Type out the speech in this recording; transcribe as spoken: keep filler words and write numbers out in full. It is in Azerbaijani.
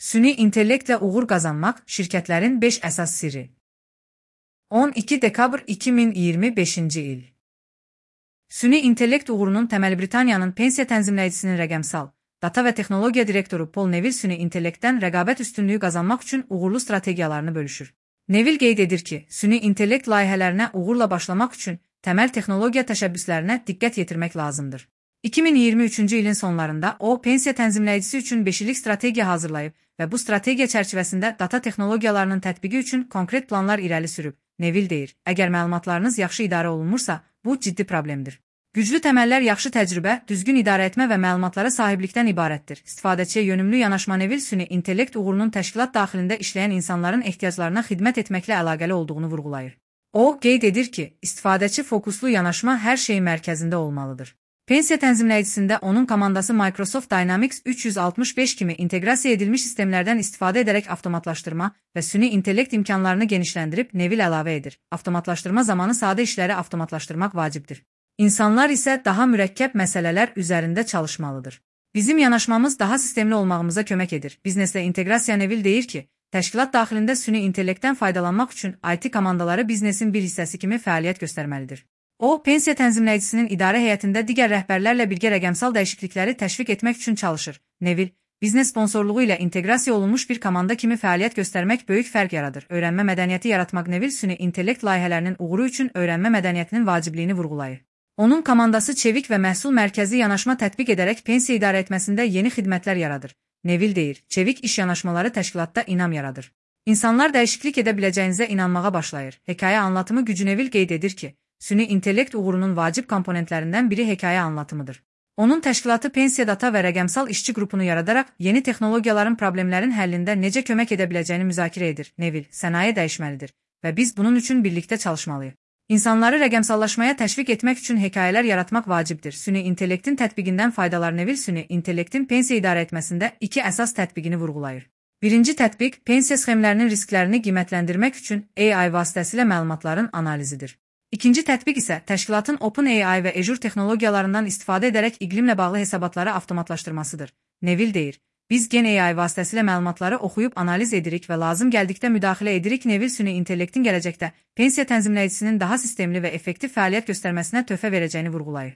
Süni intellektlə uğur qazanmaq şirkətlərin beş əsas sirri. on iki dekabr iki min iyirmi beşinci il. Süni intellekt uğurunun təməli Britaniyanın pensiya tənzimləyicisinin rəqəmsal, data və texnologiya direktoru Paul Neville süni intellektdən rəqabət üstünlüyü qazanmaq üçün uğurlu strategiyalarını bölüşür. Neville qeyd edir ki, süni intellekt layihələrinə uğurla başlamaq üçün təməl texnologiya təşəbbüslərinə diqqət yetirmək lazımdır. iki min iyirmi üçüncü ilin sonlarında o, pensiya tənzimləyicisi üçün beş illik strategiya hazırlayıb və bu strategiya çərçivəsində data texnologiyalarının tətbiqi üçün konkret planlar irəli sürüb. Neville deyir, əgər məlumatlarınız yaxşı idarə olunmursa, bu ciddi problemdir. Güclü təməllər yaxşı təcrübə, düzgün idarə etmə və məlumatlara sahiblikdən ibarətdir. İstifadəçiyə yönümlü yanaşma Neville süni intellekt uğurunun təşkilat daxilində işləyən insanların ehtiyaclarına xidmət etməklə əlaqəli olduğunu vurğulayır. O, qeyd edir ki, istifadəçi fokuslu yanaşma hər şeyin mərkəzində olmalıdır. Pensiya tənzimləyicisində onun komandası Microsoft Dynamics üç yüz altmış beş kimi inteqrasiya edilmiş sistemlərdən istifadə edərək avtomatlaşdırma və süni intellekt imkanlarını genişləndirib, Neville əlavə edir. Avtomatlaşdırma zamanı sadə işləri avtomatlaşdırmaq vacibdir. İnsanlar isə daha mürəkkəb məsələlər üzərində çalışmalıdır. Bizim yanaşmamız daha sistemli olmağımıza kömək edir. Bizneslə inteqrasiya Neville deyir ki, təşkilat daxilində süni intellektdən faydalanmaq üçün I T komandaları biznesin bir hissəsi kimi fəaliyyət göstərməlidir. O, pensiya tənzimləyicisinin idarə heyətində digər rəhbərlərlə birgə rəqəmsal dəyişiklikləri təşviq etmək üçün çalışır. Neville, biznes sponsorluğu ilə inteqrasiya olunmuş bir komanda kimi fəaliyyət göstərmək böyük fərq yaradır. Öyrənmə mədəniyyəti yaratmaq Neville süni intellekt layihələrinin uğuru üçün öyrənmə mədəniyyətinin vacibliyini vurğulayır. Onun komandası çevik və məhsul mərkəzi yanaşma tətbiq edərək pensiya idarə etməsində yeni xidmətlər yaradır. Neville deyir, çevik iş yanaşmaları təşkilatda inam yaradır. İnsanlar dəyişiklik edə biləcəyinizə inanmağa başlayır. Hekayə anlatımı gücü Neville qeyd edir ki, süni intellekt uğurunun vacib komponentlərindən biri hekayə anlatımıdır. Onun təşkilatı pensiya data və rəqəmsal işçi qrupunu yaradaraq yeni texnologiyaların problemlərin həllində necə kömək edə biləcəyini müzakirə edir. Neville, sənaye dəyişməlidir və biz bunun üçün birlikdə çalışmalıyıq. İnsanları rəqəmsallaşmaya təşviq etmək üçün hekayələr yaratmaq vacibdir. Süni intellektin tətbiqindən faydalar Neville süni intellektin pensiya idarə etməsində iki əsas tətbiqini vurğulayır. Birinci tətbiq, pensiya sxemlərinin risklərini qiymətləndirmək üçün A I vasitəsilə məlumatların analizidir. İkinci tətbiq isə təşkilatın OpenAI və Azure texnologiyalarından istifadə edərək iqlimlə bağlı hesabatları avtomatlaşdırmasıdır. Neville deyir, biz gen A I vasitəsilə məlumatları oxuyub analiz edirik və lazım gəldikdə müdaxilə edirik. Neville süni intellektin gələcəkdə pensiya tənzimləyicisinin daha sistemli və effektiv fəaliyyət göstərməsinə töhfə verəcəyini vurğulayır.